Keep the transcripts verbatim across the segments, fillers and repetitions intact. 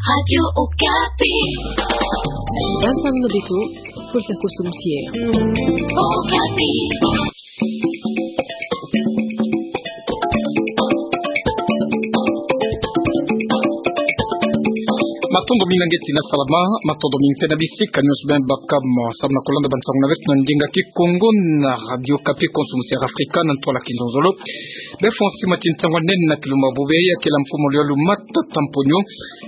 Radio Okapi. Bansango na beto, pulsa kosumusié. Okapi. Matondo mingi na nge tina salama, matondo mingi mpe na bisika nyonso beno baka mo, samu na kolanda bansango na beto na ndinga Kikongo na Radio Okapi, kosumusié Afrika na ntwala kizololo. Beno fweti mati ntangu nene na kilumbu bubu ya kela mfumu luyalu Matata Mponyo,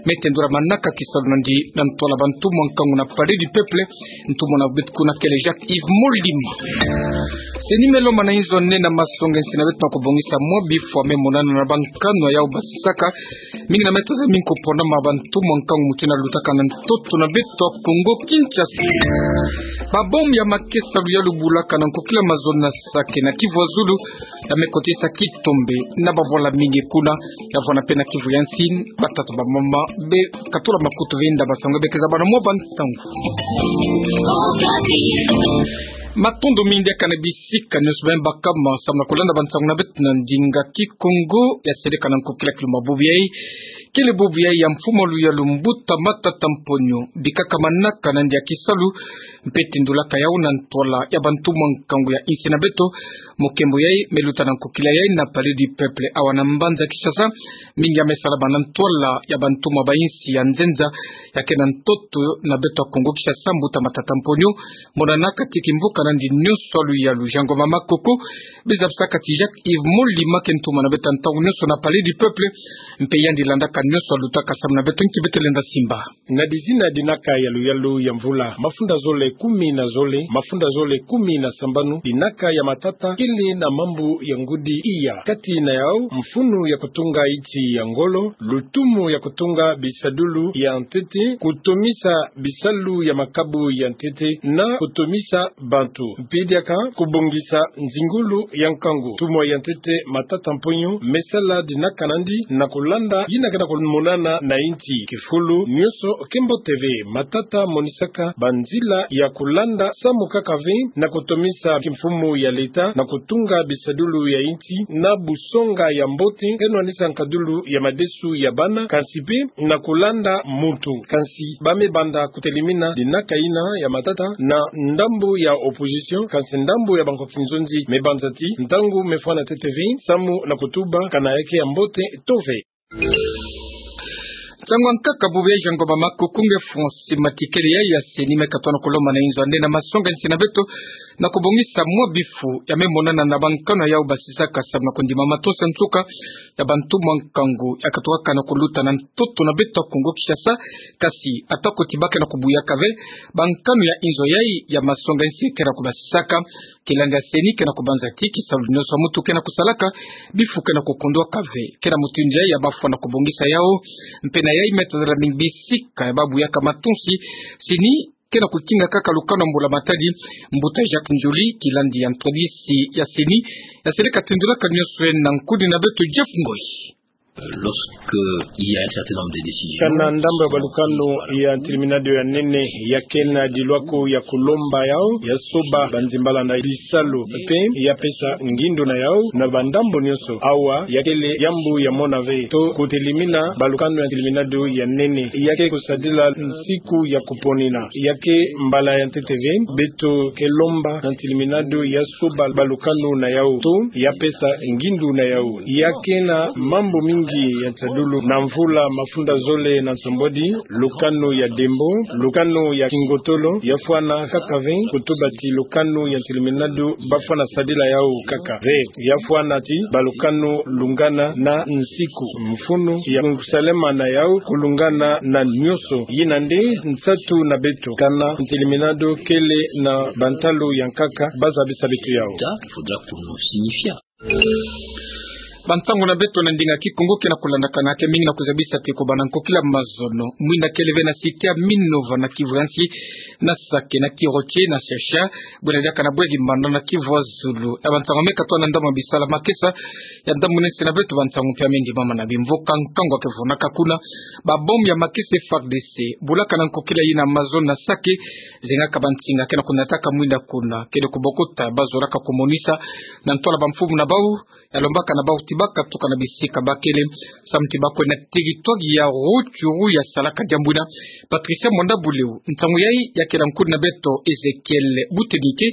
me tendula manaka kisalu nandi na ntwala bantumwa nkangu na Palais du Peuple, ntumwa na beto kuna kele Jacques Yves Molima. CENI me lomba na inzo nene na masonga nsi na beto na kobongisa mwa bifu ya me monana na bankanu yau basisaka, mingi na meta za minko pona ma bantumwa nkangu mutina lutaka na ntoto na beto Kongo Kinshasa. Ba bombe ya makesa luyalu bulaka na nkokila mazono na Sake na Kivu ya Zulu, ya me kotisa kitombe na bavwala mingi kuna, ya vwanda mpe na Kivu ya Nsi, batata bamama be katula makutu ve nda basango be keza bana mwa bansango. Matondo mingi na nge na bisika nyonso beno baka mo, samu na kolanda bansango na beto na ndinga Kikongo, ya seleka na nkokila kilumbu bubu yai, kele bubu yai ya mfumu luyalu Mbuta Matata Mponyo, bikaka manaka nandi ya kisalu, mpe tendulaka yau na ntwala ya bantumwa nkangu ya insi na beto, mokembo yai me luta na nkokila yai na Palais du Peuple awa na mbanza Kinshasa, mingi ya me salama na ntwala ya bantumwa ba insi ya nzenza, ya ke na ntoto na beto Kongo Kinshasa, Mbuta Matata Mponyo, monana kati kimvuka nandi nyonso ya luyalu. Jean Ngoma Makoko, bizabisaka ti Jacques Yves Molima ke ntumwa na beto ntangu nyonso na Palais du Peuple, mpe yandi landaka nyonso ya lutaka samu na beto, nki beto lenda simba. Na dizina dinaka ya luyalu ya mvula, mafunda zole kumi na zole, mafunda zole kumi na sambanu, dinaka ya matata kele na mambu ya ngudi iya. Kati na yau, mfunu ya kotunga inti ya ngolo, lutumu ya kotunga bisadulu ya ntete, kotomisa bisalu ya makabu ya ntete, na kotomisa bantu. Mpe diaka kobongisa nzingulu ya nkangu. Ntumwa ya ntete Matata Mponyo me sala dinaka nandi na kolanda yina ke na komonana na inti. Kifulu nyonso ke mbote ve. Matata monisaka banzila ya kolanda samu kaka ve na kotomisa kimfumu ya leta na kotunga bisadulu ya inti na busonga ya mbote, ke nwanisa nkadulu ya madesu ya bana, kansi mpe na kolanda muntu. Kansi ba me banda kotelemina dinaka yina ya matata na ndambu ya opposition, kansi ndambu ya bankwa kinzonzi me banza ti ntangu me fwana ntete ve samu na kotuba kana ya ke ya mbote to ve. Nsangu ya nkaka bubu ya Jean Ngoma Makoko nge fweti mati, kele yai ya CENI me katono kolomba na inzo nene na masonga nsi na beto na kobongisa mwa bifu ya me monana na bankanu yau basisaka samu na kondima matosa nsuka ya bantumwa nkangu ya katukaka na koluta na ntoto na beto Kongo Kinshasa, kasi atako ti ba ke na kobuyaka ve, bankanu ya inzo yai ya masonga nsi ke na kobasisaka, kila nge ya CENI ke na kobanza ti kisalu nyonso ya muntu ke na kosalaka, bifu ke na kokondwaka ve. Ke na mutindu yai ya bafwa na kobongisa yau, mpe na yai me tazala mingi bisika ya babuyaka matonsi, CENI ke na kotinga kaka lukanu ya mbula-matadi. Mbuta Jacques Ndjoli, kilandi ya ntwadisi ya CENI, ya seleka tendulaka nyonso yena na nkudi na beto Jeff Ngoi. Lorsque il y a un certain nombre de décisions, kana ndambu ya balukanu ya ntilimina dio ya nene ya ke na dilwako ya kolomba yau ya soba banzimbala na bisalu, mpe ya pesa ngindu na yau na bandambu nyonso. Awa ya kele yambu ya mona ve to kotelemina balukanu ya ntilimina dio ya nene. Ya ke kosadila nsiku ya koponina. Ya ke mbala ya ntete ve. Beto ke lomba na ntilimina dio ya soba balukanu na yau to ya pesa ngindu na yau. Ya ke na mambu mingi ya nsadulu. Na mvula mafunda zole na nsambwadi, lukanu ya Dembo, lukanu ya Kingotolo, ya fwana kaka ve, kotuba ti lukanu ya ntilimina dio ba fwana sadila yau kaka ve. Ya fwana ti balukanu lungana na nsiku, mfunu ya kusalema na yau kulungana na nyonso. Yina nde nsatu na beto, kana ntilimina dio kele na bantalu ya nkaka ba zabisa beto yau. Il faudra qu'on nous signifie. Bansangu na beto na ndinga Kikongo ke na kolandakana ke mingi na kozabisa ti kobanda nkokila mazono, mwinda kele ve na site ya Minova na Kivu ya nsi, na Sake, na Kiroche, na Shasha, bwena diaka na Bwegi Mbanda na Kivu ya zulu. Ya bansangu me katoa na ndambu ya bisala makesa ya ndambu nene na beto, bansangu mpe ya me ndimama na bimvoka nkangu ya ke vunaka kuna. Ba bombe ya makesa F A R D C bulaka na nkokila yina mazono na Sake, zengaka bansinga ke na konataka mwinda kuna, kele kobokota ba zolaka komonisa na ntwala bamfumu na bau, ya lombaka na bau ti bakatuka na bisika bakele, samu ti bakwenda territoire ya Rutshuru ya salaka diambu ina. Patricia Mwanda Buleo, ntangu yayi ya kena nkundi na beto Ezekiel Butemike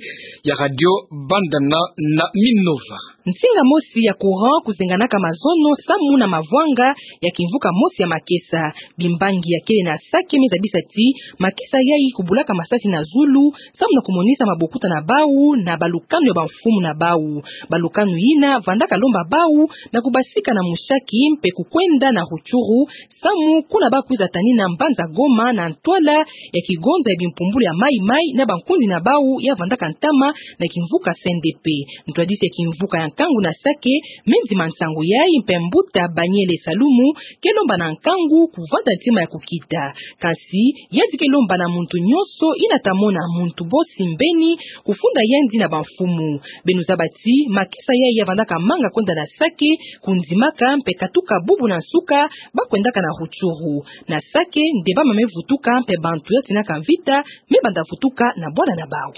ya Radio Bandana na Minova. Nsinga mosi ya courant kuzenganaka mazono samu na mavwanga ya kimvuka mosi ya makesa. Bimbangi ya kele na Sake me zabisa ti makesa yayi kubulaka masasi na zulu, samu na kumonisa mabokuta na bau na balukanu ya bamfumu na bau. Balukanu ina vandaka lomba bau na kubasika na Mushaki mpe kukwenda na Rutshuru, samu kuna bakwiza tanina mbanza Goma na ntwala ya kigonza ya bimpumbulu ya Mai Mai na bankundi na bau ya vandaka ntama na kimvuka C N D P. Ntwadisi ya kimvuka ya nkangu na Sake me nzima nsangu yayi mpe mbuta Baniele Salumu, ke lomba na nkangu kuvanda ntima ya kukita. Kansi yandi ke lomba na muntu nyonso ina ta mona muntu bosi mbeni kufunda yandi na bamfumu. Beno zaba ti makesa yayi ya vandaka manga kwenda na Sake, kundimaka mpe katuka bubu na nsuka bakwendaka na Rutshuru. Na Sake nde bamama me vutuka mpe bantu ya tinaka mvita me banda vutuka na bwala na bau.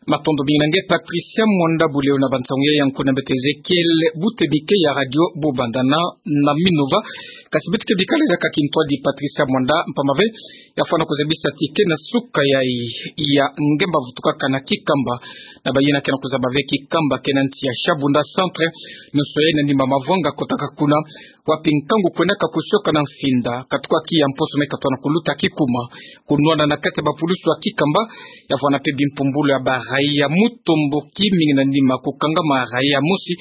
Matondo mingi na nge Patricia Mwanda Buleo na bansangu yayi ya nkundi na beto Ezekiel Butemike ya Radio Bandana na Minova. Kasi beto ke bikala diaka kintwadi Patricia Mwanda, mpamba ve ya fwana kuzabisa ti ke na suka yayi ya ngemba vutukaka na Kikamba, na bayina ke na kuzaba ve Kikamba ke na nsi ya Shabunda Centre, nyonso yayi na nima mavwanga kotaka kuna, wapi nkangu kwendaka kusioka na mfinda, katuka ki ya mposo me katona kuluta kikuma. Kunwana na kati ya bapulusu ya Kikamba, ya vwana mpe bimpumbulu ya baraia mutomboki mingi na nima kukanga maraia mosi,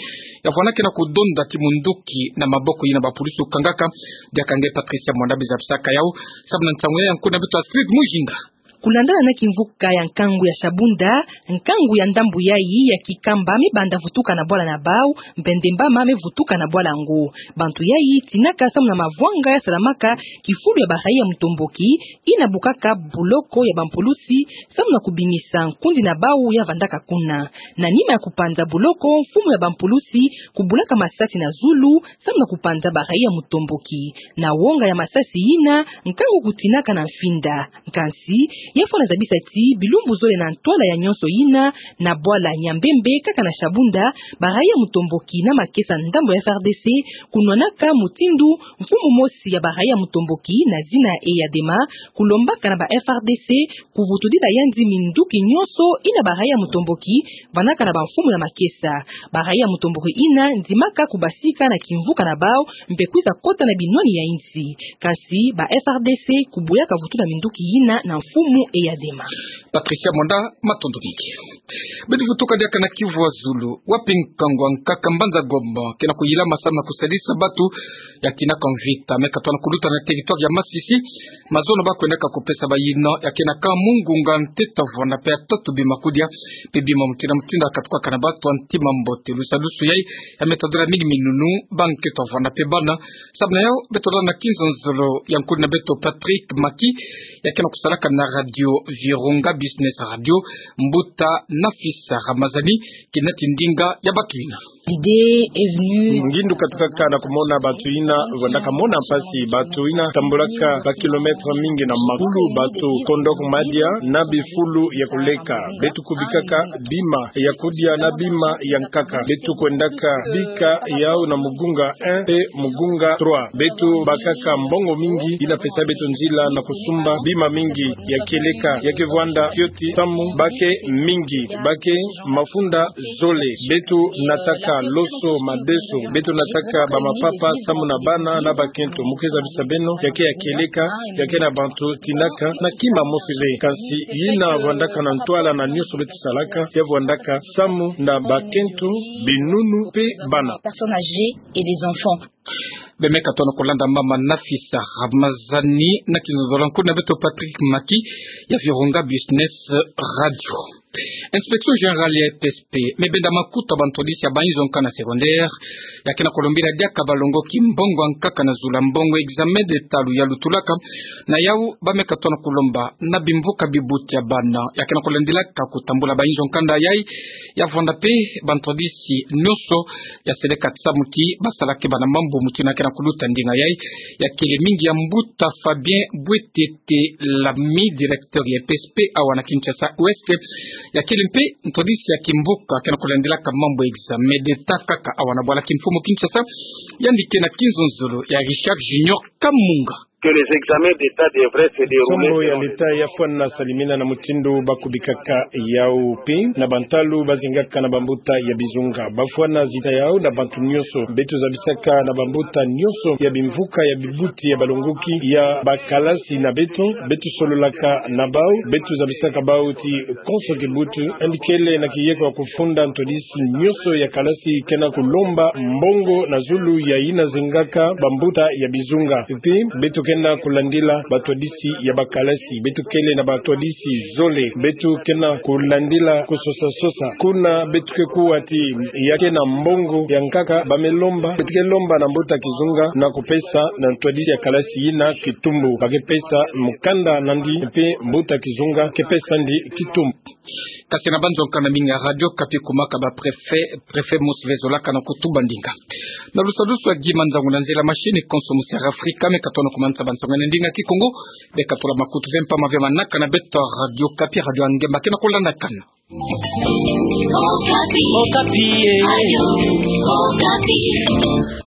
ya vwana ke na kudonda ti munduki na maboko yina bapulusu kangaka. Diaka nge Patricia Mwanda bizabisaka yau, samu na nsangu yayi ya nkundi na beto Astrid Mujinga. Kulandana na kimvuka ya nkangu ya Shabunda, nkangu ya ndambu yayi ya Kikamba me banda vutuka na bwala na bau, mpe ndembama me vutuka na bwala ngo. Bantu yayi tinaka samu na mavwanga ya salamaka kifulu ya baraia mutomboki, ina bukaka buloko ya bampulusi, samu na kubimisa nkundi na bau ya vandaka kuna. Na nima ya kupanza buloko, mfumu ya bampulusi kubulaka masasi na zulu, samu na kupanza baraia mutomboki. Na wonga ya masasi yina, nkangu kutinaka na mfinda. Kansi ya fwana zabisa ti bilumbu zole na ntwala ya nyonso yina, na bwala Nyambembe kaka na Shabunda, baraia mutomboki na makesa ndambu ya F R D C kunwanaka mutindu mfumu mosi ya baraia mutomboki na zina Eyadema kulombaka na ba F R D C kuvutudila yandi minduki nyonso ina baraia mutomboki vandaka na bamfumu ya makesa. Baraia mutomboki ina ndimaka kubasika na kimvuka na bau mpe kwiza kota na binwani ya insi. Kansi ba F R D C kubuyaka vutu na minduki yina na mfumu Eyadema. Patricia Mwanda, matondo mingi. Beto vutuka diaka na Kivu ya Zulu, wapi nkangu ya nkaka mbanza Goma ke na kuyilama samu na kusadisa batu ya tinaka mvita me katona kuluta na territoire ya Masisi. Mazono bakwendaka kupesa bayina ya kenaka mu ngunga ntete vwana mpe ya tatu bima kudia, mpe bima mutindu na mutindu ya katukaka na batu ya ntima mbote. Lusadusu yayi ya me tadila mingi minunu, bankento vwana mpe bana. Samu na yau, beto landa na kinzonzolo ya nkundi na beto Patrick Maki, ya ke na kusalaka na Radio Virunga Business Radio, mbuta Nafisa Ramazani, kina ti ndinga ya batu yina. L'idée est venue. Ngindu katukaka na kumona batu yina vandaka mona mpasi, batu yina tambulaka ba kilomètre mingi na makulu, batu kondoko madia na bifulu ya kuleka. Beto kubikaka bima ya kudia na bima ya nkaka. Beto kwendaka bika yau na mugunga un mpe mugunga trois. Beto bakaka mbongo mingi yina pesa beto nzila na kusumba bima mingi ya kieleka, ya ke vwanda fioti samu ba ke mingi, ba ke mafunda zole. Beto nataka loso, madeso, beto nataka bamapapa samu na bana na bakento. Mu ke zabisa beno, ya ke ya kieleka, ya ke na bantu tinaka na kima mosi ve. Kansi yina vandaka na ntwala na nyonso beto salaka, ya vandaka samu na bakento, binunu mpe bana. Personnes âgées et les enfants. Beno me katona kulanda mama Nafisa Ramazani na kinzonzolo ya nkundi na beto Patrick Maki ya Virunga Business Radio. Inspection générale ya E P S P me benda makuta bantwadisi ya bayinzo nkanda secondaire, ya ke na kulombila diaka balongoki mbongo ya nkaka na zulu ya mbongo examen de talu ya lutulaka. Na yau ba me katona kulomba na bimvuka bibuti ya bana, ya ke na kulandilaka kutambula bayinzo nkanda yayi, ya vwanda mpe bantwadisi nyonso ya seleka samu ti ba sala keba na mambu mutindu ya ke na kuluta ndinga yayi. Ya kele mingi ya mbuta Fabien Bwetete Lami, directeur ya E P S P awa na Kinshasa Ouest. Ya kele mpe ntwadisi ya kimvuka kena kulandilaka mambu ya examen d'État kaka awa na bwala kimfumu Kinshasa, yandi kena kinzonzolo ya Richard Junior Kamunga. Que les examens d'État devraient se dérouler. Nsomo ya l'État ya fwana salimina na mutindu ba kubikaka yau mpe na bantalu bazingaka na bambuta ya bizunga. Ba fwana zita yau na bantu nyonso. Beto zabisaka na bambuta nyonso ya bimvuka, ya bibuti, ya balongoki, ya bakalasi na beto. Beto sololaka na bau. Beto zabisaka bau ti konso kibutu, yandi kele na kiyeko ya kufunda ntwadisi nyonso ya kalasi kena kulomba mbongo na zulu ya yina zingaka bambuta ya bizunga. Mpe beto kena kulandila batwadisi ya bakalasi. Beto kele na batwadisi zole. Beto kena kulandila kusosa-sosa. Kuna beto ke kuwa ti ya kena mbongo ya nkaka ba me lomba, beto ke lomba na mbuta kizunga na kupesa na ntwadisi ya kalasi yina kitumbu. Ba ke pesa mukanda nandi, mpe mbuta kizunga ke pesa ndi kitumbu. Kasi na banzo nkana mingi ya Radio Okapi, kumaka ba préfet, préfet mosi ve zolaka na kutuba ndinga. Na lusadusu ya Guy Manzangu na nzila machine, konso mosi ya Afrika me katona kumanisa bansoni na ndinga Kikongo. Be katula makutu ve mpamba ve manaka na beto Radio Okapi, radio ya ngemba kena kulandakana. Okapi. Okapi, eh.